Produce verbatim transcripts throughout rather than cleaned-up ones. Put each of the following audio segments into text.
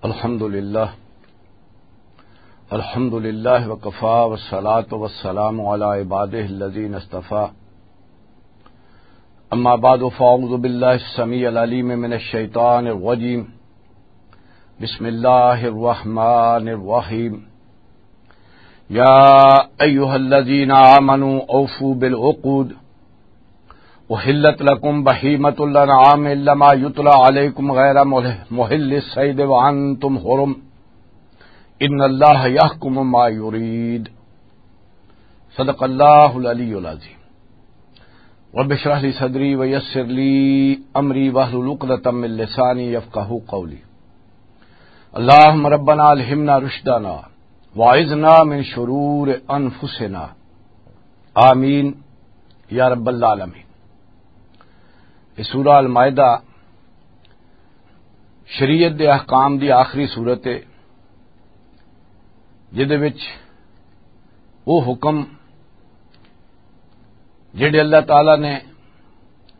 الحمد لله. الحمد لله وكفى، والصلاة والسلام على عباده الذين اصطفى. أما بعد، فأعوذ بالله السميع العليم من الشيطان الرجيم. بسم الله الرحمن الرحيم. يا أيها الذين آمنوا أوفوا بالعقود. أحلت لكم بهيمة الأنعام إلا ما يتلى عليكم غير محل الصيد وأنتم حرم. إن الله يحكم ما يريد. صدق الله العلي العظيم. رب اشرح لي صدري ويسر لي أمري واحلل عقدة من لساني يفقهوا قولي. اللهم ربنا ألهمنا رشدنا وأعذنا من شرور أنفسنا. آمین یا رب العالمین۔ یہ سورہ المائدہ شریعت دے احکام دی آخری صورت ہے، جدے وچ وہ حکم جڑے اللہ تعالی نے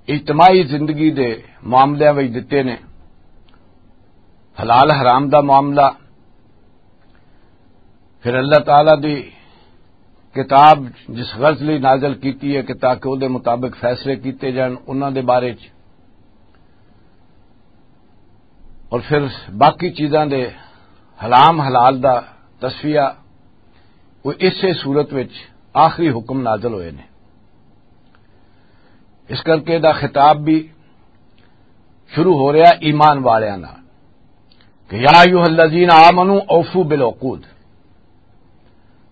اجتماعی زندگی دے معاملیاں وچ دتے نے، حلال حرام دا معاملہ، پھر اللہ تعالی دی کتاب جس غرض لئی نازل کیتی ہے کہ تاکہ او دے مطابق فیصلے کیتے جان، انہاں دے بارے چ، اور پھر باقی چیزاں دے حرام حلال دا تصفیہ، وہ اسے صورت وچ آخری حکم نازل ہوئے نے۔ اس کر کے دا خطاب بھی شروع ہو رہا ایمان والیاں نال کہ یا ایھا الذین آمنو اوفو بالعقود،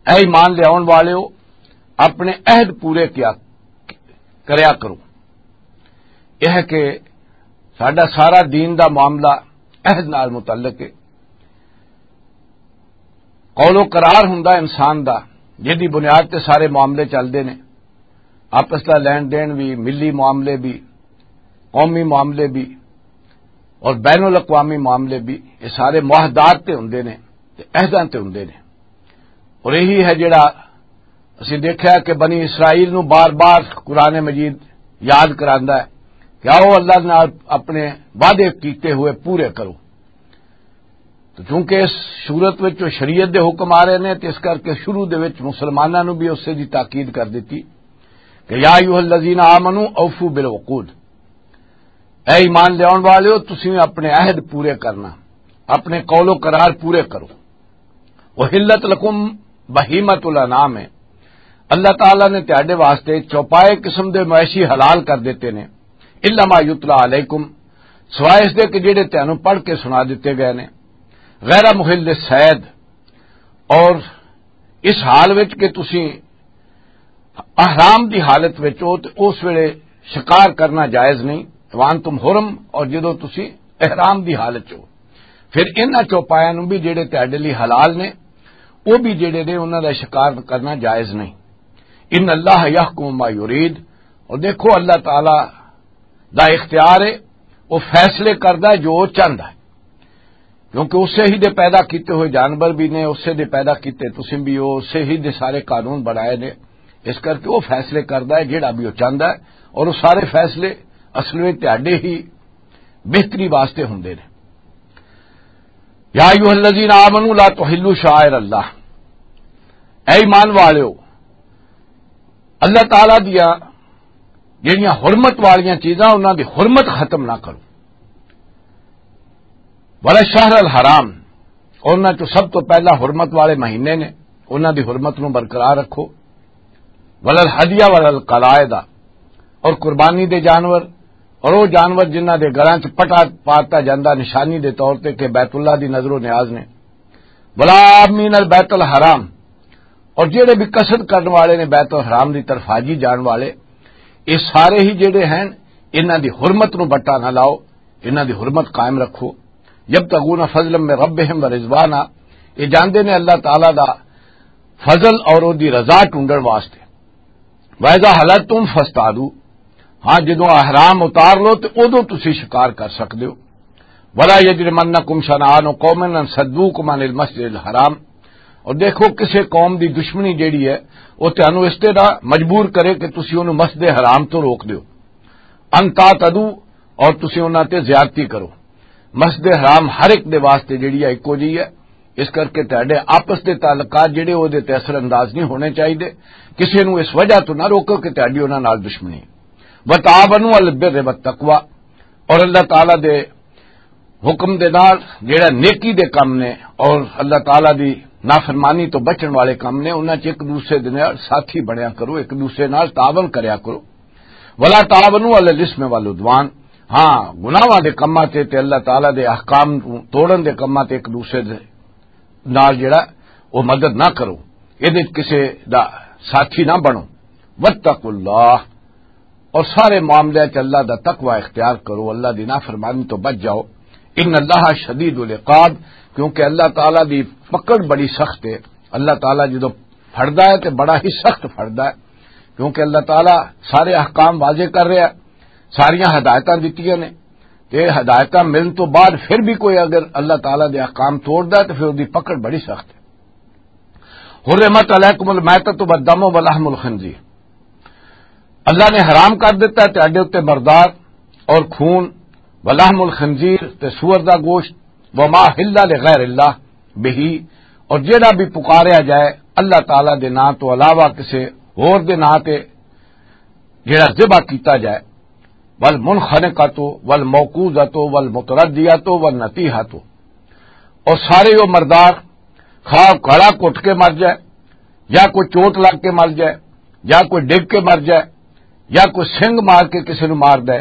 اے ایمان لے آؤن والےو، اپنے عہد پورے کیا کریا کرو۔ یہ کہ ساڈا سارا دین دا معاملہ عہد نال متعلق ہے۔ قول و قرار ہوندا انسان دا، جدی بنیاد تے سارے معاملے چلدے نے، آپس دا لین دین بھی، ملی معاملے بھی، قومی معاملے بھی اور بین الاقوامی معاملے بھی، یہ سارے معاہدات تے ہوندے نے تے عہداں تے ہوندے نے۔ اور یہی ہے جڑا اسی دیکھا کہ بنی اسرائیل نو بار بار قرآن مجید یاد کراندا ہے کہ آؤ اللہ نال اپنے وعدے کیتے ہوئے پورے کرو۔ تو چونکہ اس صورت وچ جو شریعت دے حکم آ رہے نے، تے اس کر کے شروع دے وچ مسلماناں نو بھی اسے دی تاکید کر دتی کہ یا ایھا الذین آمنو اوفو بالعقود، اے ایمان لیاون والےو، تسی اپنے عہد پورے کرنا، اپنے قول و قرار پورے کرو۔ احلت لکم بہیمۃ الانعام ہے، اللہ تعالیٰ نے تہاڈے واسطے چوپائے قسم دے مویشی حلال کر دیتے نے، الا ما یتلا علیکم، سوائے اس دے کہ جڑے تہانوں پڑھ کے سنا دیتے گئے نے، غیر محل الصید، اور اس حال وچ کہ تسی احرام دی حالت وچ ہو تے اس ویلے شکار کرنا جائز نہیں، وان تم حرم، اور جدوں تسی احرام دی حالت چ ہو، پھر انہاں چوپایاں نوں بھی جڑے تہاڈے لئی حلال نے، وہ بھی جڑے نے انہاں دا شکار کرنا جائز نہیں۔ ان اللہ یحکم ما یرید، اور دیکھو اللہ تعالی دا اختیار ہے، وہ فیصلے کردا ہے جو وہ چاہندا ہے، کیونکہ اسے ہی دے پیدا کیتے ہوئے جانور بھی نے، اسے دے پیدا کیتے تسیں بھی ہو، اسے ہی دے سارے قانون بنائے نے، اس کر کے وہ فیصلے کردا ہے جڑا بھی وہ چاہندا ہے، اور وہ سارے فیصلے اصل میں تہاڈے ہی بہتری واسطے ہوندے نے۔ یا ایھا الذین آمنوا لا تحلوا شعائر اللہ، اے ایمان والےو، اللہ تعالیٰ دیاں جڑیاں حرمت والیاں چیزاں، انہاں دی حرمت ختم نہ کرو۔ ولا شہر الحرام، انہاں چوں سب تو پہلا حرمت والے مہینے نے، انہاں دی حرمت نوں برقرار رکھو۔ ولا الہدیہ ولا القلائد، اور قربانی دے جانور، اور وہ جانور جنہاں دے گلاں چ پٹا پاتا جاندا نشانی دے طور تے کہ بیت اللہ دی نظر و نیاز نے۔ ولا آمین البیت الحرام، اور جڑے بھی قصد کرن والے نے بیت الحرام دی طرف حاجی جان والے، یہ سارے ہی جڑے ہیں، انہاں دی حرمت نو بٹا نہ لاؤ، انہاں دی حرمت قائم رکھو۔ یبتغون فضلا من ربهم ورضوانا، یہ جاندے نے اللہ تعالیٰ دا فضل اور او دی رضا ٹونڈن واسطے۔ وَإِذَا حَلَلْتُمْ فَاصْطَادُوا، ہاں، جدوں احرام اتار لو تے اودوں تسی شکار کر سکدے ہو۔ وَلَا يَجْرِمَنَّكُمْ شَنَآنُ قَوْمٍ أَن صَدُّوكُمْ عَنِ الْمَسْجِدِ الْحَرَامِ، اور دیکھو کسے قوم دی دشمنی جیڑی ہے، وہ تانوں اس طرح مجبور کرے کہ تسی انہوں مسجد حرام تو روک دیو۔ أَن تَعْتَدُوا، اور تسی انہاں تے زیادتی کرو۔ مسجد حرام ہر ایک دے واسطے جڑی ہے، اکو جی ہے۔ اس کر کے تہاڈے آپس دے تعلقات جڑے، او دے تے اثر انداز نہیں ہونے چاہیے۔ کسے نوں اس وجہ تو نہ روکو کہ تہاڈی انہاں نال دشمنی۔ وتعاونوا علی البر والتقوی، اور اللہ تعالیٰ دے حکم دے نال جڑا نیکی دے کم نے اور اللہ تعالیٰ دی نافرمانی تو بچن والے کم نے، انہاں چ ایک دوسرے دے نال ساتھی بنیا کرو، ایک دوسرے نال تعاون کریا کرو۔ ولا تعاونوا علی الاثم والعدوان، ہاں، گناہاں دے کماں تے تے اللہ تعالیٰ دے احکام نوں توڑن دے کماں تے ایک دوسرے دے نال جڑا او مدد نہ کرو، اے دے کسے دا ساتھی نہ بنو۔ واتقوا اللہ، اور سارے معاملے چ اللہ دا تقوی اختیار کرو، اللہ دی نافرمانی تو بچ جاؤ۔ ان اللہ شدید العقاب، کیونکہ اللہ تعالیٰ دی پکڑ بڑی سخت ہے۔ اللہ تعالیٰ جدوں پھڑدا ہے تے بڑا ہی سخت پھڑدا ہے، کیونکہ اللہ تعالیٰ سارے احکام واضح کر رہا ہے، ساریاں ہدایتاں دتیاں نے، تے ہدایتاں ملن تو بعد پھر بھی کوئی اگر اللہ تعالیٰ دے احکام توڑدا ہے تو پھر اودی پکڑ بڑی سخت ہے۔ حرمت علیکم المیتۃ والدم ولحم الخنزیر، اللہ نے حرام کر دیتا ہے تہاڈے اُتے مردار اور خون، ولحم الخنزیر، تے سور دا گوشت، وما اہل لغیر اللہ بہ، اور جیڑا بھی پکاریا جائے اللہ تعالیٰ دے نام تو علاوہ کسے ہور دے نام تے جیڑا ذبح کیتا جائے، والمنخنقۃ والموقوذۃ والمتردیۃ والنطیحۃ، اور سارے وہ مردار خواہ گلا گھٹ کے مر جائے، یا کوئی چوٹ لگ کے مر جائے، یا کوئی ڈگ کے مر جائے، یا کوئی سنگ مار کے کسی نو مار دے،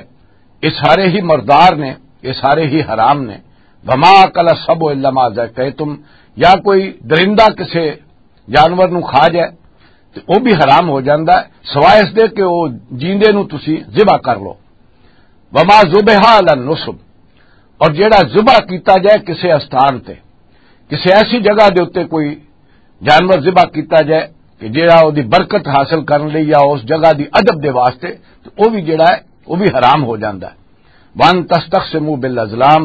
یہ سارے ہی مردار نے، یہ سارے ہی حرام نے۔ وما اکل السبع الا ما ذکیتم، یا کوئی درندہ کسی جانور نو کھا جائے تے او بھی حرام ہو جاندا ہے، سوائے اس دے کہ او جیندے نو تسی ذبح کر لو۔ وما ذبح علی النصب، اور جیڑا ذبح کیتا جائے کسے استان تے، کسے ایسی جگہ دے اُتے کوئی جانور ذبح کیتا جائے کہ جیڑا او دی برکت حاصل کرن لئی یا اس جگہ دی ادب دے واسطے، تے او بھی جیڑا ہے او بھی حرام ہو جاندا ہے۔ وان تستقسموا بالازلام،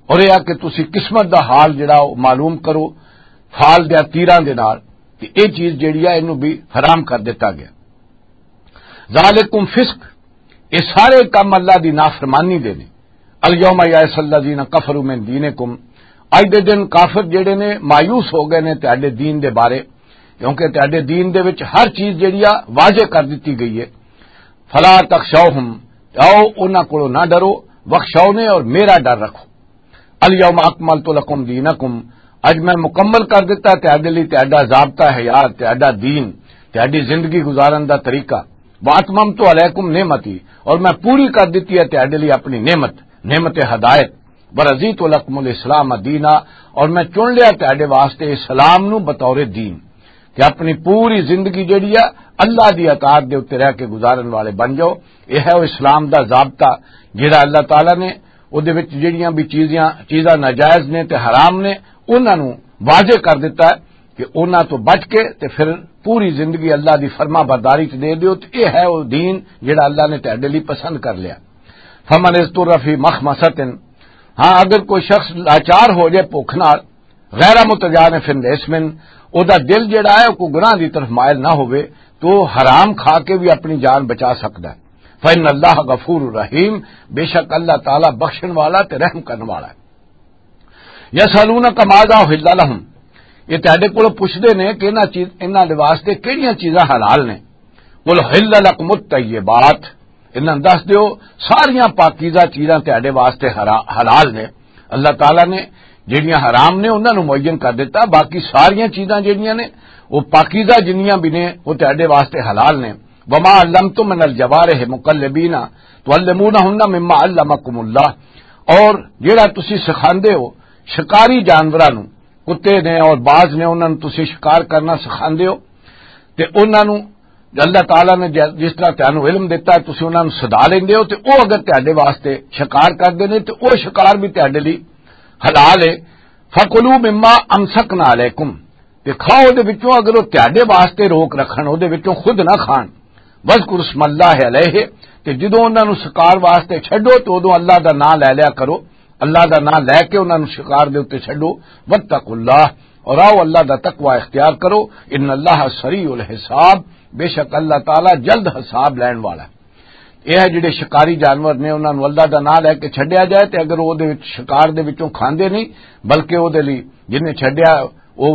اور یہ کہ تسی قسمت دا حال جڑا او معلوم کرو، حال دے تیراں دے نال، تے اے چیز جڑی ہے اینو بھی حرام کر دتا گیا۔ ذالکم فسق، یہ سارے کم اللہ دی نافرمانی دے نے۔ الیوم یئس الذین کفروا من دینکم، اج دے دن کافر جڑے نے مایوس ہو گئے نے تہاڈے دین دے بارے، کیونکہ تہاڈے دین دے وچ ہر چیز جڑی آ واضح کر دتی گئی ہے۔ فلا تخشوہم، آؤ انہاں کولوں نہ ڈرو، واخشونی، اور میرا ڈر رکھو۔ الیوم اکملت لکم دینکم، اج میں مکمل کر دتا تہاڈے لئی تہاڈا ضابطہ حیات، تہاڈا دین، تہاڈی زندگی گزارن دا طریقہ۔ واتممت علیکم نعمتی، اور میں پوری کر دتی ہے تہاڈے لئی اپنی نعمت، نعمت ہدایت۔ ورضیت لکم الاسلام دینا، اور میں چن لیا تہاڈے واسطے اسلام نو بطور دین، کہ اپنی پوری زندگی جڑی ہے اللہ دی اطاعت دے اُتے رہ کے گزارن والے بن جاؤ۔ یہ ہے وہ اسلام دا ضابطہ، جڑا اللہ تعالیٰ نے او دے وچ جڑیاں بھی چیزاں، چیزاں ناجائز نے تے حرام نے، انہاں نو واضح کر دتا ہے کہ انہاں تو بچ کے تے پھر پوری زندگی اللہ دی فرما برداری چ دے دیو۔ تے یہ ہے وہ دین جڑا اللہ نے تہاڈے لئی پسند کر لیا۔ فمن اضطر فی مخمصۃ، ہاں، اگر کوئی شخص لاچار ہو جائے بھوک نال، غیر متجانف لإثم، او دا دل جڑا ہے او کوئی گناہ دی طرف مائل نہ ہوئے، تو حرام کھا کے بھی اپنی جان بچا سکدا ہے۔ فإن اللہ غفور رحیم، بے شک اللہ تعالیٰ بخشن والا تے رحم کرن والا ہے۔ یسألونک ماذا احل لہم، یہ تہاڈے کولوں پوچھدے نے کہ انہاں چیز، انہاں دے واسطے کیڑیاں چیزاں حلال نے۔ قل احل لکم الطیبات، انہاں نوں دس دیو، ساریاں پاکیزہ چیزاں تہاڈے واسطے حرا-، حلال نے۔ اللہ تعالیٰ نے جڑیاں حرام نے انہاں نوں معین کر دتا، باقی ساریاں چیزاں جڑیاں نے وہ پاکیزہ جنیاں بھی نے وہ تہاڈے واسطے حلال نے۔ وما علمتم من الجوارح مکلبین تعلمونہن مما علمکم اللہ، اور جڑا تسی سکھاندے ہو شکاری جانوراں نوں، کتے نے اور باز نے، انہاں نوں تسی شکار کرنا سکھاندے ہو، تے انہاں نوں اللہ تعالیٰ نے ج-، جس طرح تانوں علم دتا ہے، تسی انہاں نوں سدا لیندے ہو، تے او اگر تہاڈے واسطے شکار کردے نے، تے او شکار بھی تہاڈے لئی حلال ہے۔ فَكُلُوا مِمَّا أَمْسَكْنَ عَلَيْكُمْ، تے کھاؤ دے وچوں، اگر او تہاڈے واسطے روک رکھن، او دے وچوں خود نہ کھان۔ وَاذْكُرُوا اسْمَ اللَّهِ عَلَيْهِ، تے جدوں انہاں نوں شکار واسطے چھڈو، تے اودوں اللہ دا نام لے لیا کرو۔ اللہ دا نام لے کے انہاں نوں شکار دے اُتے چھڈو۔ واتقوا اللہ، اور آؤ اللہ دا تقوی اختیار کرو۔ ان اللہ سریع الحساب، بے شک اللہ تعالیٰ جلد حساب لین والا ہے۔ یہ ہے جڑے شکاری جانور نے، انہاں نوں اللہ دا نام لے کے چھڈیا جائے، تے اگر وہ دے وچ، شکار دے وچوں کھاندے نہیں، بلکہ وہ دے لئی جن نے چھڈیا، وہ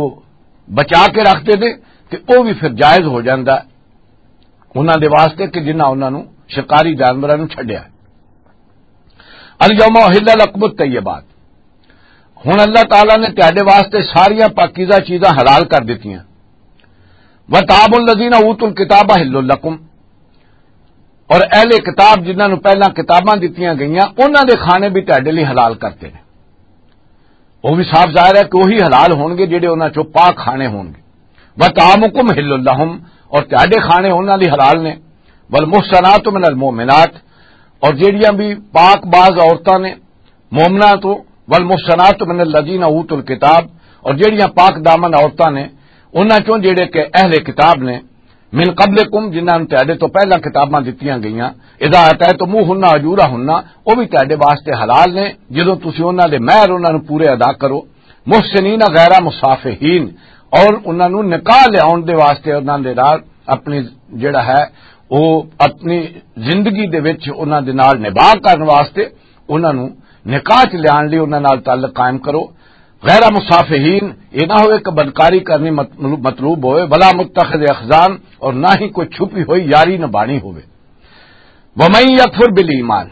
بچا کے رکھتے نے، تے وہ بھی پھر جائز ہو جاندا ہے انہاں دے واسطے کہ جنہاں انہاں نوں، شکاری جانوراں نوں چھڈیا۔ الیوم احل لکم الطیبات، ہن اللہ تعالیٰ نے تہاڈے واسطے ساریاں پاکیزہ چیزاں حلال کر دتیاں۔ وطعام الذین اوتوا الکتاب حل لکم، اور اہل کتاب جنہاں نوں پہلاں کتاباں دتیاں گئیاں، انہاں دے کھانے بھی تہاڈے لئی حلال کرتے نے۔ وہ بھی صاف ظاہر ہے کہ وہی حلال ہونگے جڑے انہاں چوں پاک کھانے ہونگے۔ وطعامکم حل لہم، اور تہاڈے کھانے انہاں لئی حلال نے۔ والمحصنات من المؤمنات، اور جڑیاں بھی پاک باز عورتاں نے مومناں تو، والمحصنات من الذین اوتوا الکتاب، اور جڑیاں پاک دامن عورتاں نے انہاں چوں جڑے کہ اہل کتاب نے، من قبلکم، جنہاں نوں تہاڈے تو پہلاں کتاباں دتیاں گئیاں، اذا آتیتموہن اجورہن، وہ بھی تہاڈے واسطے حلال نے جدوں تسی انہاں دے مہر انہاں نوں پورے ادا کرو، محسنین غیر مسافحین، اور انہاں نوں نکاح لیاون دے واسطے انہاں دے نال اپنی، جڑا ہے، وہ اپنی زندگی دے وچ انہاں دے نال نباہ کرن واسطے انہاں نوں نکاح چ لیان لئی انہاں نال تعلق قائم کرو۔ غیر مصافحین، یہ نہ ہوئے کہ بدکاری کرنی مط-، مطلوب ہوئے، ولا متخذ اخذان، اور نہ ہی کوئی چھپی ہوئی یاری نبھانی ہوئے۔ ومن یکفر بالایمان،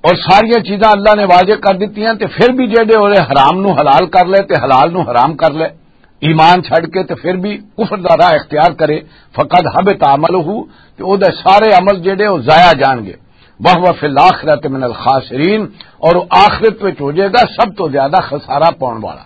اور ساریاں چیزاں اللہ نے واضح کر دتیاں، تے پھر بھی جڑے اوہے حرام نو حلال کر لے تے حلال نو حرام کر لے، ایمان چھڈ کے تے پھر بھی کفر دا راہ اختیار کرے، فقد حبط عملہ، تے او دے سارے عمل جڑے او ضائع جان گے۔ وہو فی الآخرۃ من الخاسرین، اور او آخرت وچ ہو جائے گا سب تو زیادہ خسارہ پاؤن والا۔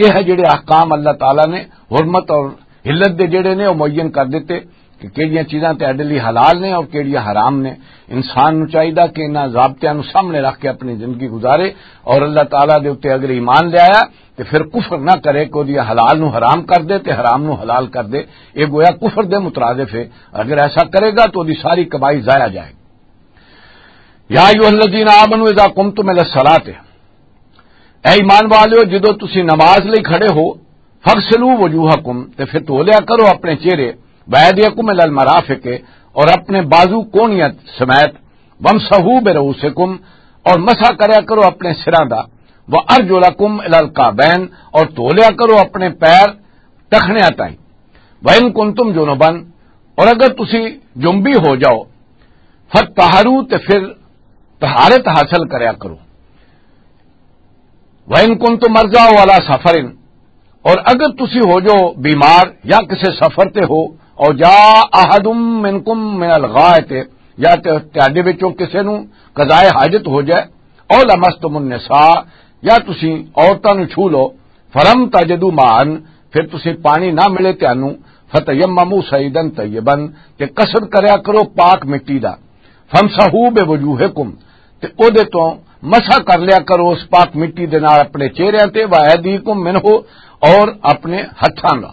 یہ ہے جڑے احکام اللہ تعالیٰ نے حرمت اور حلت دے جڑے نے او معین کر دیتے کہ کیڑیاں چیزاں تہاڈے لئی حلال نے اور کیڑیاں حرام نے۔ انسان نو چاہیدا کہ انہاں ضابطیاں نو سامنے رکھ کے اپنی زندگی گزارے، اور اللہ تعالیٰ دے اُتے اگر ایمان لے آیا تے پھر کفر نہ کرے کہ اودی حلال نو حرام کر دے تے حرام نو حلال کر دے۔ یہ گویا کفر دے مترادف ہے۔ اگر ایسا کرے گا تو اودی ساری کمائی ضائع جائے گی۔ یا ایھا الذین آمنوا اذا قمتم الی الصلاۃ، اے ایمان والیو، جدوں تسی نماز لئی کھڑے ہو، فاغسلوا وجوہکم، تے پھر دھو لیا کرو اپنے چہرے، وایدیکم الی المرافق، اور اپنے بازو کونیاں سمیت، وامسحوا برؤوسکم، اور مسح کریا کرو اپنے سراں دا، وارجلکم الی الکعبین، اور دھو لیا کرو اپنے پیر ٹخنیاں تائیں۔ وَإِن كُنتُمْ جُنُبًا، اور اگر تسی جنبی ہو جاؤ، فَطَّهَّرُوا، تے پھر طہارت حاصل کریا کرو۔ وَإِن كُنتُمْ مَرْضَىٰ أَوْ عَلَىٰ سَفَرٍ، اور اگر تسی ہو جاؤ بیمار یا کسے سفر تے ہو، أَوْ جَاءَ أَحَدٌ مِّنْكُمْ مِنَ الْغَائِطِ، یا تے تہاڈے وچوں کسے نوں قضائے حاجت ہو جائے، أَوْ لَمَسْتُمُ النِّسَاءَ، یا تسی عورتاں نوں چھو لو، فلم تجدوا ماء، پھر تسی پانی نہ ملے تانوں، فتیمموا صعیدا طیبا، تے قصد کریا کرو پاک مٹی دا، فامسحوا بوجوہکم، تے او دے تو مسح کر لیا کرو اس پاک مٹی دے نال اپنے چہریاں تے، وایدیکم منہ، اور اپنے ہتھاں دا۔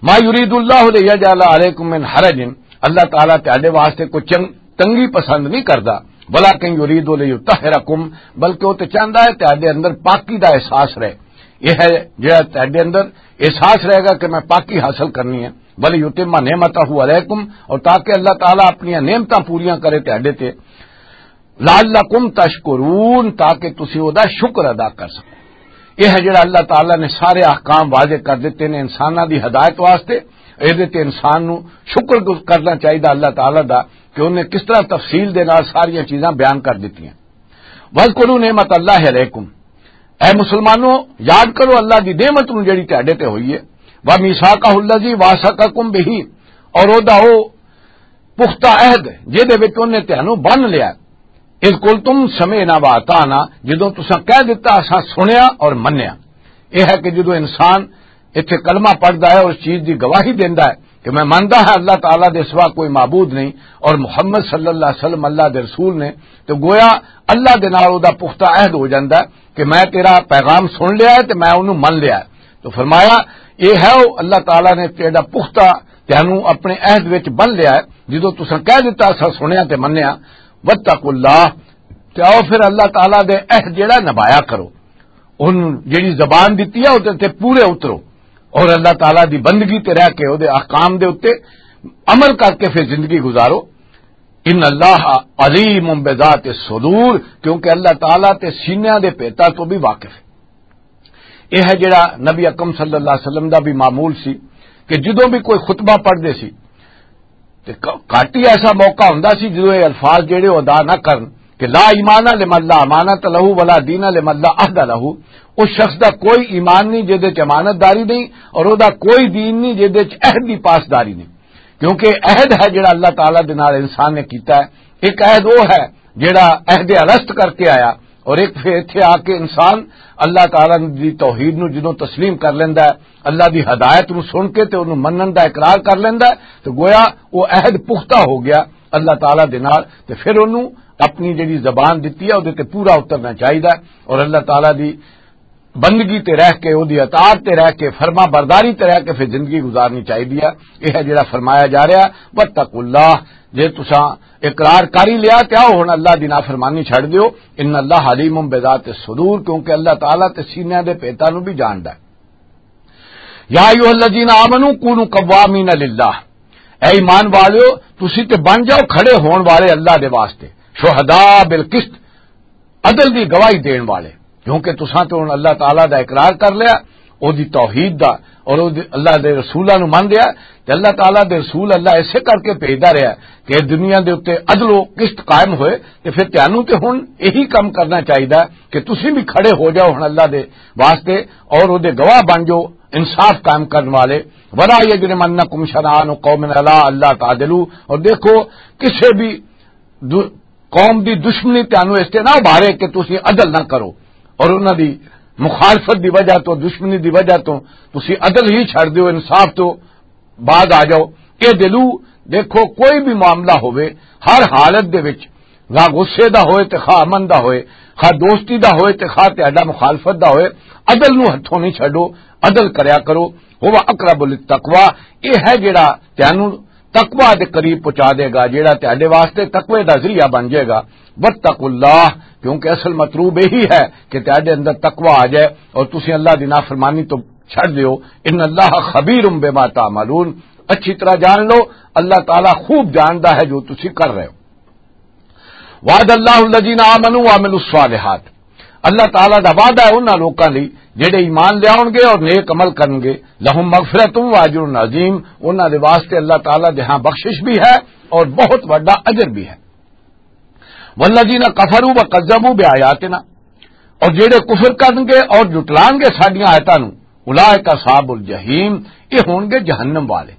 ما یرید اللہ لیجعل علیکم من حرج، اللہ تعالیٰ تہاڈے واسطے کوئی چن-، تنگی پسند نہیں کردا، ولیکن یرید لیطہرکم، بلکہ وہ تے چاہندا ہے تہاڈے اندر پاکی دا احساس رہے۔ یہ ہے جڑا تہاڈے اندر احساس رہے گا کہ میں پاکی حاصل کرنی ہے، ولیتم نعمتہ علیکم، اور تاکہ اللہ تعالیٰ اپنی نعمتاں پوریاں کرے تہاڈے تے، لعلکم تشکرون، تاکہ تسی او دا شکر ادا کر سکو۔ یہ ہے جڑا اللہ تعالیٰ نے سارے احکام واضح کر دیتے نے انساناں دی ہدایت واسطے۔ اے دے تے انسان نو شکر کرنا چاہیدا اللہ تعالیٰ دا کہ انہیں کس طرح تفصیل دے نال ساریاں چیزاں بیان کر دتیاں۔ وَاذْكُرُوا نِعْمَتَ اللَّهِ عَلَيْكُمْ، اے مسلمانوں، یاد کرو اللہ دی نعمت نو جڑی تہاڈے تے ہوئی ہے۔ وَمِيثَاقَهُ الَّذِي وَاثَقَكُمْ بِهِ، اور او دا او پختہ عہد جہدے وچ انہیں تہانوں بن لیا۔ اذ قلتم سمعنا واطعنا، جدوں تساں کہہ دتا اساں سنیا اور منیا۔ یہ ہے کہ جدوں انسان اتھے کلمہ پڑھدا ہے اور اس چیز دی گواہی دیندا ہے کہ میں مندا ہاں اللہ تعالیٰ دے سوا کوئی معبود نہیں اور محمد صلی اللہ علیہ وسلم اللہ دے رسول نے، تو گویا اللہ دے نال او دا پختہ عہد ہو جاندا ہے کہ میں تیرا پیغام سن لیا ہے تے میں اونوں من لیا ہے۔ تو فرمایا، یہ ہے او اللہ تعالیٰ نے تیرا پختہ تینوں اپنے عہد وچ بن لیا ہے، جدوں تساں کہہ دتا اساں سنیا تے منیا۔ واتقوا اللہ، تے آؤ پھر اللہ تعالیٰ دے عہد جڑا نبھایا کرو، ان جڑی زبان دتی ہے، او تے پورے اترو، اور اللہ تعالیٰ دی بندگی تے رہ کے، او دے احکام دے اُتے عمل کر کے پھر زندگی گزارو۔ ان اللہ علیم بذات الصدور، کیونکہ اللہ تعالیٰ تے سینیاں دے پیتا تو بھی واقف ہے۔ یہ ہے جڑا نبی اکرم صلی اللہ علیہ وسلم دا بھی معمول سی کہ جدوں بھی کوئی خطبہ پڑھدے سی تے ک-، گھٹ ہی ایسا موقع ہوندا سی جدوں یہ الفاظ جڑے وہ ادا نہ کرن کہ لا ایمان لمن لا امانت لہو ولا دین لمن لا عہد لہو۔ اس شخص دا کوئی ایمان نہیں جہدے چ امانت داری نہیں، اور او دا کوئی دین نہیں جہدے چ عہد دی پاسداری نہیں۔ کیونکہ عہد ہے جڑا اللہ تعالیٰ دے نال انسان نے کیتا ہے۔ ایک عہد وہ ہے جڑا عہد الست کر کے آیا، اور ایک پھر اتھے آ کے انسان اللہ تعالیٰ دی توحید نو جدوں تسلیم کر لیندا ہے، اللہ دی ہدایت نو سن کے تے اونوں منن دا اقرار کر لیندا ہے، تو گویا وہ عہد پختہ ہو گیا اللہ تعالیٰ دے نال۔ تے پھر اونوں اپنی جڑی زبان دتی ہے، اودے تے پورا اترنا چاہیدا ہے، اور اللہ تعالیٰ دی بندگی تے رہ کے، اودی اطاعت تے رہ کے، فرما برداری تے رہ کے پھر زندگی گزارنی چاہیدی ہے۔ یہ ہے جڑا فرمایا جا رہا ہے، "واتقوا اللہ"، جے تساں اقرار کر ہی لیا تے آؤ ہن اللہ دی نافرمانی چھڈ دیو۔ "ان اللہ علیم بذات الصدور"، کیونکہ اللہ تعالیٰ تے سینیاں دے پیتاں نوں بھی جاندا ہے۔ "یا ایھا الذین آمنوا کونوا قوامین للہ"، اے ایمان والیو، تسی تے بن جاؤ کھڑے ہون والے اللہ دے واسطے، "شہداء بالقسط"، عدل دی گواہی دین والے، کیونکہ تساں تے ہن اللہ تعالیٰ دا اقرار کر لیا، او دی توحید دا، اور او دی، اللہ دے رسولاں نو من لیا۔ تے اللہ تعالیٰ دے رسول اللہ ایسے کر کے بھیجدا رہیا کہ دنیا دے اوتے عدل و قسط قائم ہوئے۔ تے پھر تانوں تے ہن یہی کم کرنا چاہیدا کہ تسی بھی کھڑے ہو جاؤ ہن اللہ دے واسطے، اور او دے گواہ بن جاؤ، انصاف قائم کرن والے۔ "ولا یجرمنکم شنآن قوم علی الا تعدلوا"، اور دیکھو، کسے بھی دو-، قوم دی دشمنی تانوں اس تے نہ ابھارے کہ تسی عدل نہ کرو، اور انہاں دی مخالفت دی وجہ تو، دشمنی دی وجہ تو تسی عدل ہی چھڈ دیو، انصاف تو باز آ جاؤ۔ اے دلو، دیکھو، کوئی بھی معاملہ ہوئے، ہر حالت دے وچ، خواہ غصے دا ہوئے تے خواہ امن دا ہوئے، خواہ دوستی دا ہوئے تے خواہ تہاڈا مخالفت دا ہوئے، عدل نو ہتھوں نہیں چھڈو، عدل کریا کرو۔ "ہوا اقرب للتقوی"، یہ ہے جڑا تینوں تقوی دے قریب پہنچا دے گا، جڑا تہاڈے واسطے تقوی دا ذریعہ بن جائے گا۔ "واتقوا اللہ"، کیونکہ اصل مطلوب یہی ہے کہ تہاڈے اندر تقوی آ جائے اور تسی اللہ دی نافرمانی تو چھڈ دیو۔ "ان اللہ خبیر بما تعملون"، اچھی طرح جان لو، اللہ تعالیٰ خوب جاندا ہے جو تسی کر رہے ہو۔ "وعد اللہ الذین آمنوا وعملوا الصالحات"، اللہ تعالیٰ دا وعدہ ہے انہاں لوکاں لئی جڑے ایمان لیاون گے اور نیک عمل کرن گے، "لہم مغفرۃ و اجر عظیم"، انہاں دے واسطے اللہ تعالیٰ دے ہاں بخشش بھی ہے اور بہت بڑا اجر بھی ہے۔ "والذین کفروا وکذبوا بآیاتنا"، اور جڑے کفر کرن گے اور جھٹلان گے ساڈیاں آیتاں نوں، "اولئک اصحاب الجحیم"، یہ ہون گے جہنم والے۔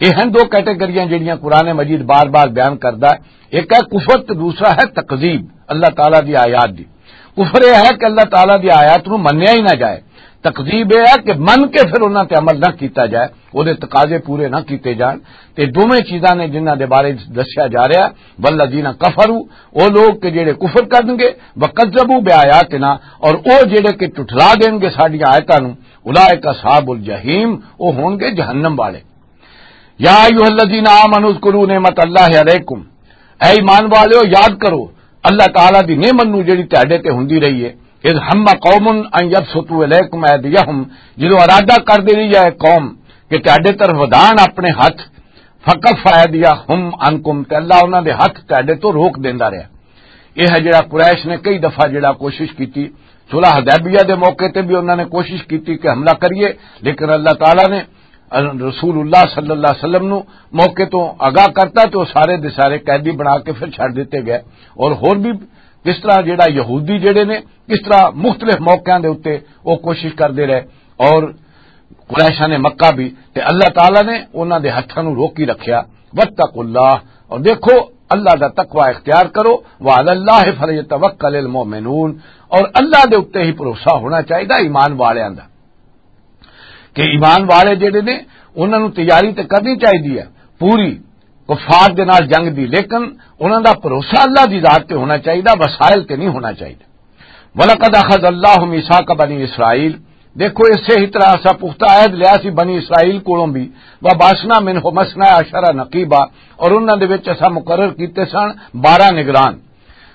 یہ ہیں دو کیٹیگریاں جڑیاں قرآن مجید بار بار بیان کردا ہے۔ ایک ہے کفر تے دوسرا ہے تکذیب اللہ تعالیٰ دی آیات دی۔ کفر یہ ہے کہ اللہ تعالیٰ دی آیات نو منیا ہی نہ جائے۔ تکذیب یہ ہے کہ من کے پھر انہاں تے عمل نہ کیتا جائے، او دے تقاضے پورے نہ کیتے جان۔ تے دوویں چیزاں نے جنہاں دے بارے دسیا جا رہا ہے، "والذین کفروا"، او لوگ کہ جڑے کفر کرن گے، "وکذبوا بآیاتنا"، اور او جڑے کہ ٹھٹلا دین گے ساڈیاں آیتاں نو، "اولئک اصحاب الجحیم"، او ہون گے جہنم والے۔ یا ایھا الذین آمنوا اذکروا نعمت اللہ علیکم، اے ایمان والیو، یاد کرو اللہ تعالیٰ دی نعمت نو جڑی تہاڈے تے ہوندی رہی ہے۔ اذ ہم قوم ان یبسطوا الیکم ایدیہم، جدوں ارادہ کر دی رہی ہے قوم کہ تہاڈے طرف ودان اپنے ہاتھ، فکف ایدیہم عنکم، تے اللہ انہاں دے ہاتھ تہاڈے تو روک دیندا رہیا۔ یہ ہے جڑا قریش نے کئی دفعہ جڑا کوشش کیتی، صلح حدیبیہ دے موقع تے بھی انہاں نے کوشش کیتی کہ حملہ کریے، لیکن اللہ تعالیٰ نے رسول اللہ صلی اللہ علیہ وسلم نو موقع تو آگاہ کرتا تے وہ سارے دے سارے قیدی بنا کے پھر چھڈ دیتے گئے۔ اور ہور بھی کس طرح جڑا یہودی جڑے نے، کس طرح مختلف موقعاں دے اُتے وہ کوشش کردے رہے، اور قریشاں نے مکہ بھی، تے اللہ تعالیٰ نے انہاں دے ہتھاں نو روکی رکھیا۔ واتقوا اللہ، اور دیکھو، اللہ دا تقوی اختیار کرو۔ وعلی اللہ فلیتوکل المؤمنون، اور اللہ دے اُتے ہی بھروسہ ہونا چاہیے ایمان والیاں دا۔ کہ ایمان والے جڑے نے، انہاں نوں تیاری تے کرنی چاہیدی ہے پوری کفار دے نال جنگ دی، لیکن انہاں دا بھروسہ اللہ دی ذات تے ہونا چاہیدا، وسائل تے نہیں ہونا چاہیدا۔ وَلَقَدْ أَخَذَ اللَّهُ مِيثَاقَ بَنِي إِسْرَائِيلَ، دیکھو، اسے ہی طرح اسا پختہ عہد لیا سی بنی اسرائیل کولوں بھی، وَبَعَثْنَا مِنْهُمْ اثْنَيْ عَشَرَ نَقِيبًا، اور انہاں دے وچ اسا مقرر کیتے سن بارہ نگران۔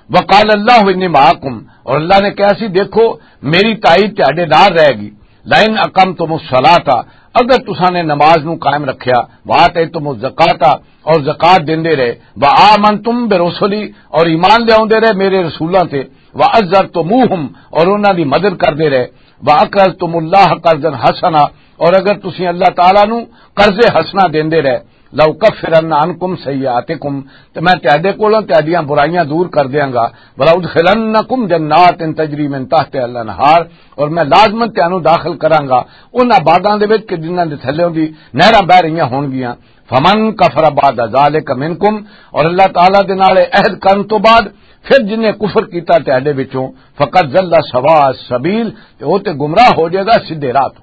وقال اللہ انی معکم، اور اللہ نے کہا سی، دیکھو، میری تائید تہاڈے نال رہے گی۔ لئن اقمتم الصلاۃ، اگر تساں نے نماز نو قائم رکھیا، وآتیتم الزکاۃ، اور زکات دیندے رہے، وآمنتم برسلی، اور ایمان لیاوندے رہے میرے رسولاں تے، وعزرتموہم، اور انہاں دی مدد کردے رہے، واقرضتم اللہ قرضا حسنا، اور اگر تسی اللہ تعالیٰ نو قرض حسنا دیندے رہے، لأکفرن عنکم سیئاتکم، تے میں تہاڈے کولوں تہاڈیاں برائیاں دور کر دیاں گا، ولأدخلنکم جنات تجری من تحتہا الانہار، اور میں لازماً تہانوں داخل کراں گا انہاں باغاں دے وچ کہ جنہاں دے تھلیوں دی نہراں بہہ رہیاں ہونگیاں۔ فمن کفر بعد ذالک منکم، اور اللہ تعالیٰ دے نال عہد کرن تو بعد پھر جن نے کفر کیتا تہاڈے وچوں، فقد ضل سواء السبیل، تے او تے گمراہ ہو جائے گا سیدھے راہ تو۔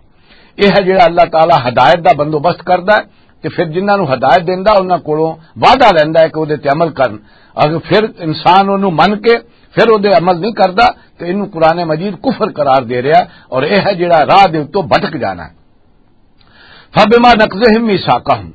یہ ہے جڑا اللہ تعالیٰ ہدایت دا بندوبست کردا ہے، تے پھر جنہاں نوں ہدایت دیندا، انہاں کولوں وعدہ لیندا ہے کہ او دے تے عمل کرن۔ اگر پھر انسان اونوں من کے پھر او دے عمل نہیں کردا، تے اینوں قرآن مجید کفر قرار دے رہا، اور یہ ہے جڑا راہ دے اتوں بھٹک جانا ہے۔ فبما نقضهم ميثاقهم،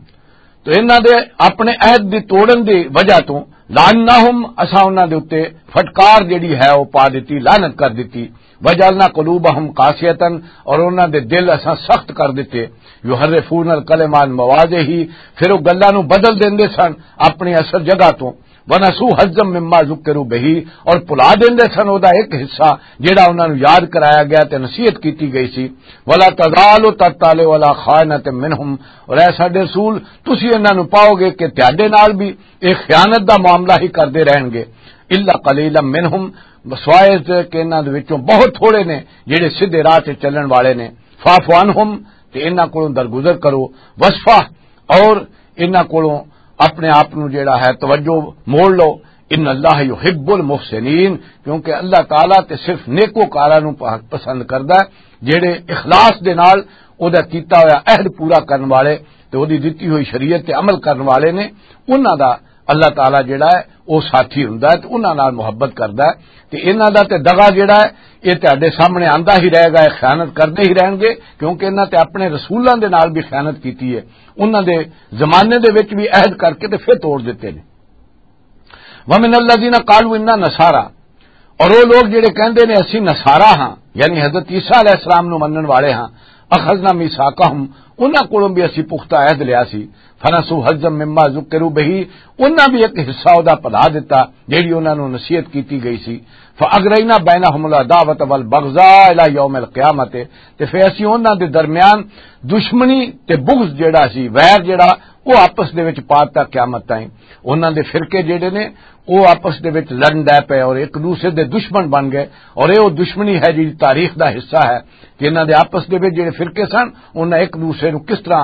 تو انہاں دے اپنے عہد دی توڑن دی وجہ تو، لعناهم، اساں انہاں دے اُتے پھٹکار جڑی ہے او پا دتی، لعنت کر دتی۔ وجعلنا قلوبهم قاسية، اور انہاں دے دل اساں سخت کر دتے۔ يحرفون الكلم عن مواضعه، پھر او گلاں نوں بدل دیندے سن اپنی اصل جگہ تو۔ ونسوا حظا مما ذکروا به، اور بھلا دیندے سن او دا ایک حصہ جڑا انہاں نوں یاد کرایا گیا تے نصیحت کیتی گئی سی۔ ولا تزال تطلع على خائنة منهم، اور اے ساڈے رسول، تسی انہاں نوں پاؤ گے کہ تہاڈے نال بھی یہ خیانت دا معاملہ ہی کردے رہن گے۔ الا قليلا منهم، سوائے اس دے کہ انہاں دے وچوں بہت تھوڑے نے جڑے سیدھے راہ تے چلن والے نے۔ فاعف عنهم، تے انہاں کولوں درگزر کرو۔ واصفح، اور انہاں کولوں اپنے آپ نوں جڑا ہے توجہ موڑ لو۔ ان اللہ یحب المحسنین، کیونکہ اللہ تعالیٰ تے صرف نیکوکاراں نوں پہ-، پسند کردا ہے، جڑے اخلاص دے نال او دا کیتا ہویا عہد پورا کرن والے تے او دی دتی ہوئی شریعت تے عمل کرن والے نے، انہاں دا اللہ تعالیٰ جڑا ہے او ساتھی ہوندا ہے تے انہاں نال محبت کردا ہے۔ تے انہاں دا تے دغا جڑا ہے، یہ تہاڈے سامنے آندا ہی رہے گا، یہ خیانت کردے ہی رہن گے، کیونکہ انہاں تے اپنے رسولاں دے نال بھی خیانت کیتی ہے، انہاں دے زمانے دے وچ بھی عہد کر کے تے پھر توڑ دتے نے۔ ومن الذین قالوا انا نصارا، اور وہ لوگ جڑے کہندے نے اسی نصارا ہاں، یعنی حضرت عیسیٰ علیہ السلام نو منن والے ہاں، اخذنا میثاقہم، انہاں کولوں بھی اسی پختہ عہد لیا سی۔ فنسوا حظا مما ذکروا بہ، انہاں بھی ایک حصہ او دا بھلا دتا جڑی انہاں نو نصیحت کیتی گئی سی۔ فاغرینا بینہم العداوۃ والبغضاء الی یوم القیامۃ، تے پھر اسی انہاں دے درمیان دشمنی تے بغض جڑا سی، ویر جڑا، او آپس دے وچ پا دتا قیامت تائیں۔ انہاں دے فرقے جڑے نے، او آپس دے وچ لڑن ڈے پئے اور ایک دوسرے دے دشمن بن گئے، اور اے او دشمنی ہے جڑی تاریخ دا حصہ ہے کہ انہاں دے آپس دے وچ جڑے فرقے سن، انہاں ایک دوسرے نوں کس طرح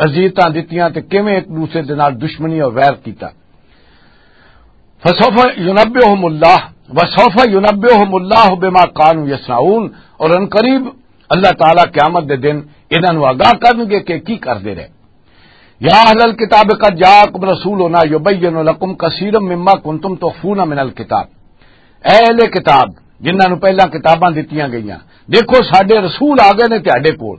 اذیتاں دتیاں تے کیویں ایک دوسرے دے نال دشمنی اور ویر کیتا۔ فسوف ینبئہم اللہ، وسوف ینبئہم اللہ بما کانوا یصنعون، اور ان قریب اللہ تعالیٰ قیامت دے دن انہاں نوں آگاہ کرنگے کہ کی کردے رہے۔ یا اہل الکتاب قد جاءکم رسولنا یبین لکم کثیرا مما کنتم تخفون من الکتاب، اے اہل کتاب جنہاں نوں پہلاں کتاباں دتیاں گئیاں، دیکھو ساڈے رسول آ گئے نے تہاڈے کول،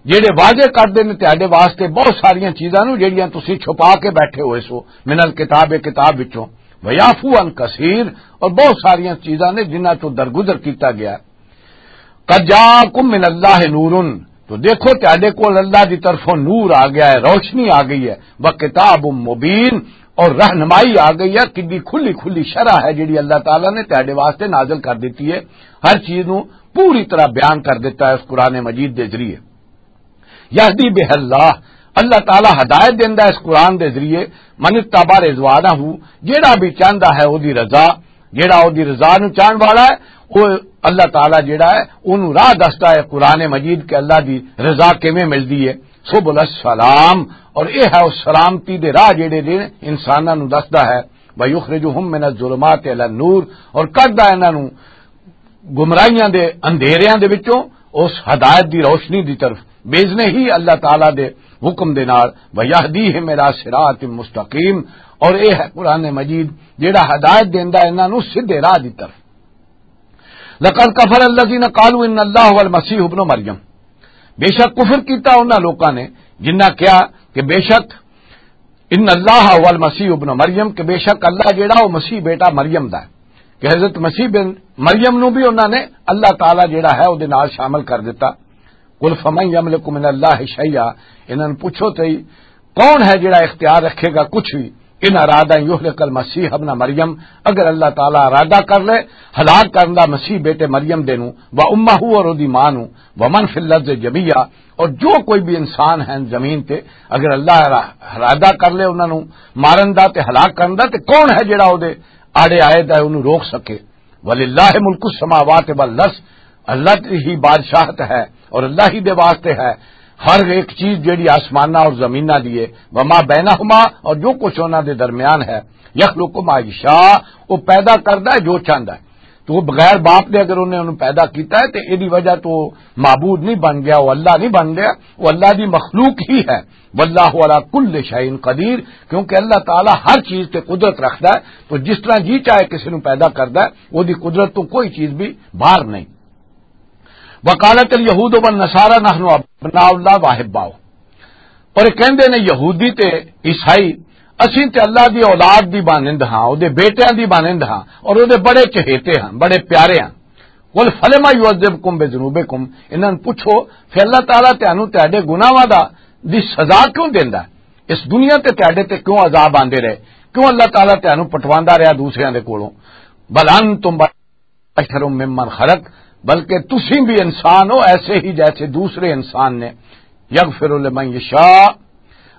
جڑے واضح کردے نے تہاڈے واسطے بہت ساریاں چیزاں نوں جڑیاں تسی چھپا کے بیٹھے ہوئے سو، من الکتاب، کتاب وچوں، ویعفو عن کثیر، اور بہت ساریاں چیزاں نے جنہاں چوں درگزر کیتا گیا۔ قد جاءکم من اللہ نور، تو دیکھو تہاڈے کول اللہ دی طرفوں نور آ گیا ہے، روشنی آ گئی ہے، وکتاب مبین، اور رہنمائی آ گئی ہے، کڈی کھلی کھلی شرح ہے جڑی اللہ تعالیٰ نے تہاڈے واسطے نازل کر دیتی ہے، ہر چیز نو پوری طرح بیان کر دیتا ہے اس قرآن مجید دے ذریعے۔ یہدی بہ اللہ، اللہ تعالیٰ ہدایت دیندا ہے اس قرآن دے ذریعے، من اتبع رضوانہ، جیڑا بھی چاہندا ہے او دی رضا، جیڑا او دی رضا نو چاہن والا ہے، او اللہ تعالیٰ جیڑا ہے اونوں راہ دسدا ہے قرآن مجید کہ اللہ دی رضا کیویں ملدی ہے۔ سبل السلام، اور اے ہے او سلامتی دے راہ جیڑے نے انساناں نو دسدا ہے۔ ویخرجہم من الظلمات الی النور، اور کڈدا ہے انہاں نو گمراہیاں دے اندھیریاں دے وچوں اس ہدایت دی روشنی دی طرف، باذنہ ہی اللہ تعالیٰ دے حکم دے نال، ویہدیہم الی صراط مستقیم، اور اے ہے قرآن مجید جیڑا ہدایت دیندا ہے انہاں نو سیدھے راہ دی طرف۔ لقد کفر الذین قالوا ان اللہ هو المسیح ابن مریم، بے شک کفر کیتا انہاں لوکاں نے جنہاں کہا کہ بے شک ان اللہ هو المسیح ابن مریم، کہ بے شک اللہ جیڑا وہ مسیح بیٹا مریم دا ہے، کہ حضرت مسیح بن مریم نو بھی انہاں نے اللہ تعالیٰ جیڑا ہے او دے نال شامل کر دیتا۔ قل فمن یملک من اللہ شیئا، انہاں نوں پوچھو تے کون ہے جڑا اختیار رکھے گا کچھ بھی؟ ان اراد ان یہلک المسیح ابن مریم، اگر اللہ تعالیٰ ارادہ کر لے ہلاک کرن دا مسیح بیٹے مریم دے نوں، و امہ، اور اودی ماں نوں، ومن فی الارض جمیعا، اور جو کوئی بھی انسان ہے زمین تے، اگر اللہ را-، ارادہ کر لے انہاں نوں مارن دا تے ہلاک کرن دا، تے کون ہے جڑا اودے آڑے آئے دا اونوں روک سکے؟ وللہ ملک السماوات والارض، اللہ دی ہی بادشاہت ہے اور اللہ ہی دے واسطے ہے ہر ایک چیز جڑی آسماناں اور زمیناں دی ہے، وما بینہما، اور جو کچھ انہاں دے درمیان ہے، یخلق ما یشاء، وہ پیدا کردا ہے جو چاہندا ہے۔ تو وہ بغیر باپ دے اگر انہیں انہوں پیدا کیتا ہے تے ایدی وجہ تو وہ معبود نہیں بن گیا، وہ اللہ نہیں بن گیا، وہ اللہ دی مخلوق ہی ہے۔ واللہ علی کل شیء قدیر، کیونکہ اللہ تعالیٰ ہر چیز تے قدرت رکھدا ہے، تو جس طرح جی چاہے کسی نوں پیدا کردا ہے، وہ دی قدرت تو کوئی چیز بھی باہر نہیں۔ وقالت الیہود والنصارى نحن ابناء اللہ واحباؤہ، اور یہ کہندے نے یہودی تے عیسائی، "اسیں تے اللہ دی اولاد دی مانند ہاں، او دے بیٹیاں دی مانند ہاں اور او دے بڑے چہیتے ہاں، بڑے پیارے ہاں۔" قل فلم یعذبکم بذنوبکم، انہاں نوں پوچھو، "پھر اللہ تعالیٰ تانوں تہاڈے گناہاں دا، دی سزا کیوں دیندا ہے؟ اس دنیا تے تہاڈے تے کیوں عذاب آندے رہے؟ کیوں اللہ تعالیٰ تانوں پٹواندا رہیا دوسریاں دے کولوں؟ بل انتم بشر ممن خلق، بلکہ تسی بھی انسان ہو ایسے ہی جیسے دوسرے انسان نے۔ یغفر لمن یشاء،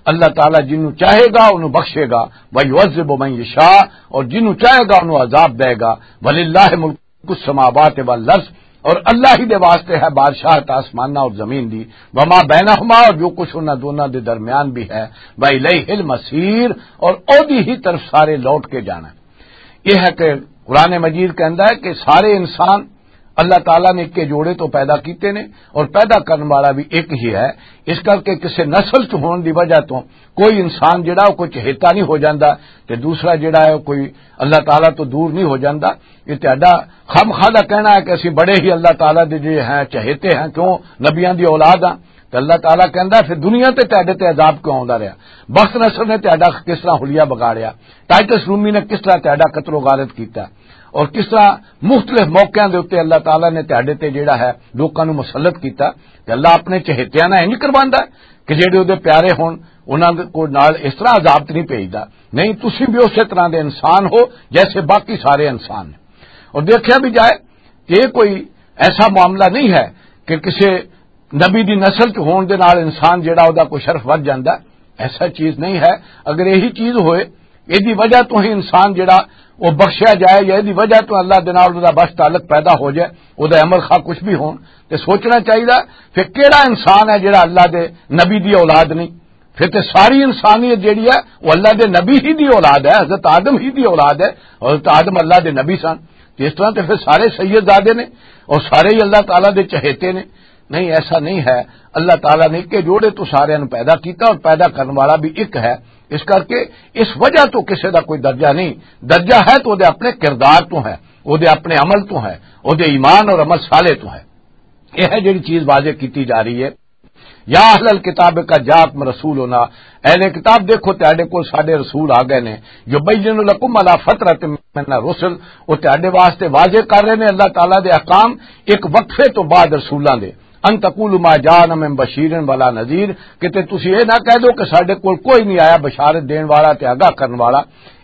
اللہ تعالیٰ جنوں چاہے گا انہوں بخشے گا، ویعذب من یشاء، اور جنوں چاہے گا انہوں عذاب دے گا۔ وللہ ملک السماوات والارض، اور اللہ ہی دے واسطے ہے بادشاہت آسماناں اور زمین دی، وما بینہما، اور جو کچھ انہاں دونوں دے درمیان بھی ہے، والیہ المصیر، اور اودی ہی طرف سارے لوٹ کے جانا ہے۔ یہ ہے کہ قرآن مجید کہندا ہے کہ سارے انسان اللہ تعالیٰ نے اکے جوڑے تو پیدا کیتے نے، اور پیدا کرن والا بھی ایک ہی ہے۔ اس کر کے کسے نسل چ ہون دی وجہ تو کوئی انسان جڑا وہ کوئی چہیتا نہیں ہو جاندا، تے دوسرا جڑا ہے وہ کوئی اللہ تعالیٰ تو دور نہیں ہو جاندا۔ یہ تہاڈا خامخواہ دا کہنا ہے کہ اسی بڑے ہی اللہ تعالیٰ دے جو ہیں چہیتے ہیں، کیوں نبیاں دی اولاد ہاں۔ تے اللہ تعالیٰ کہندا ہے، "پھر دنیا تے تہاڈے تے عذاب کیوں آوندا رہیا؟ بخت نصر نے تہاڈا کس طرح حلیہ بگاڑیا؟ ٹائٹس رومی نے کس طرح تہاڈا قتل و غارت کیتا؟ اور کس طرح مختلف موقعاں دے اوتے اللہ تعالیٰ نے تہاڈے تے جیڑا ہے لوکاں نوں مسلط کیتا؟" تے اللہ اپنے چہیتیاں نال انج کرواندا ہے کہ جیڑے اودے پیارے ہون، انہاں دے کول نال اس طرح عذاب تے نہیں بھیجدا۔ نہیں، تسی بھی اسی طرح دے انسان ہو جیسے باقی سارے انسان نے۔ اور دیکھیا بھی جائے کہ یہ کوئی ایسا معاملہ نہیں ہے کہ کسے نبی دی نسل چ ہون دے نال انسان جیڑا او دا کوئی شرف ودھ جاندا ہے، ایسا چیز نہیں ہے۔ اگر یہی چیز ہوئے، ایدی وجہ تو ہی انسان جیڑا او بخشیا جائے یا ایدی وجہ تو اللہ دے نال او دا بس تعلق پیدا ہو جائے، او دا عمل خواہ کچھ بھی ہون، تے سوچنا چاہیدا پھر کیڑا انسان ہے جیڑا اللہ دے نبی دی اولاد نہیں؟ پھر تے ساری انسانیت جیڑی ہے، وہ اللہ دے نبی ہی دی اولاد ہے، حضرت آدم ہی دی اولاد ہے، اور حضرت آدم اللہ دے نبی سن۔ تے اس طرح تے پھر سارے سید زادے نے اور سارے ہی اللہ تعالیٰ دے چہیتے نے۔ نہیں، ایسا نہیں ہے۔ اللہ تعالیٰ نے اکے جوڑے تو سارے نوں پیدا کیتا اور پیدا کرن والا بھی ایک ہے۔ اس کر کے اس وجہ تو کسے دا کوئی درجہ نہیں، درجہ ہے تو دے اپنے کردار تو ہے، وہ دے اپنے عمل تو ہے، وہ دے ایمان اور عمل صالح تو ہے۔ یہ ہے جڑی چیز واضح کیتی جا رہی ہے۔ یا اہل الکتاب قد جاءکم رسولنا، اہل کتاب دیکھو تہاڈے کول ساڈے رسول آ گئے نے، یبین لکم علی فترۃ من الرسل، وہ تہاڈے واسطے واضح کر رہے نے اللہ تعالیٰ دے احکام ایک وقفے تو بعد رسولاں دے۔ ان تقولوا ما جاءنا من بشیر ولا نذیر، کہ تے تسی اے نہ کہہ دو کہ ساڈے کول کوئی نہیں آیا بشارت دین والا تے آگاہ کرن والا۔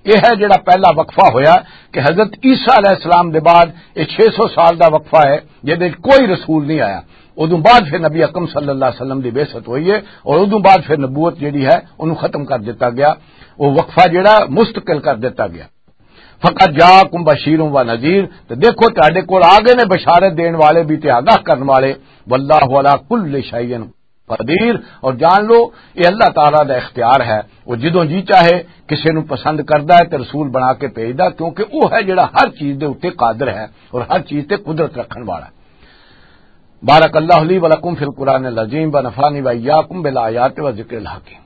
یہ ہے جڑا پہلا وقفہ ہویا کہ حضرت عیسیٰ علیہ السلام دے بعد یہ چھ سو سال دا وقفہ ہے جدے وچ کوئی رسول نہیں آیا۔ ادوں بعد پھر نبی اکرم صلی اللہ علیہ وسلم دی بعثت ہوئی ہے اور ادوں بعد پھر نبوت جڑی ہے انہوں ختم کر دیتا گیا، وہ وقفہ جڑا مستقل کر دیتا گیا۔ فقد جاءکم بشیر و نذیر، تے دیکھو تہاڈے کول آ گئے نے بشارت دین والے بھی تے آگاہ کرن والے۔ واللہ علی کل شیء قدیر، اور جان لو یہ اللہ تعالیٰ دا اختیار ہے، وہ جدوں جی چاہے کسے نوں پسند کردا ہے تے رسول بنا کے بھیجدا، کیونکہ وہ ہے جڑا ہر چیز دے اوتے قادر ہے اور ہر چیز تے قدرت رکھن والا ہے۔ بارک اللہ لی ولکم فی القرآن العظیم و نفعنی و ایاکم بالآیات و ذکر الحکیم۔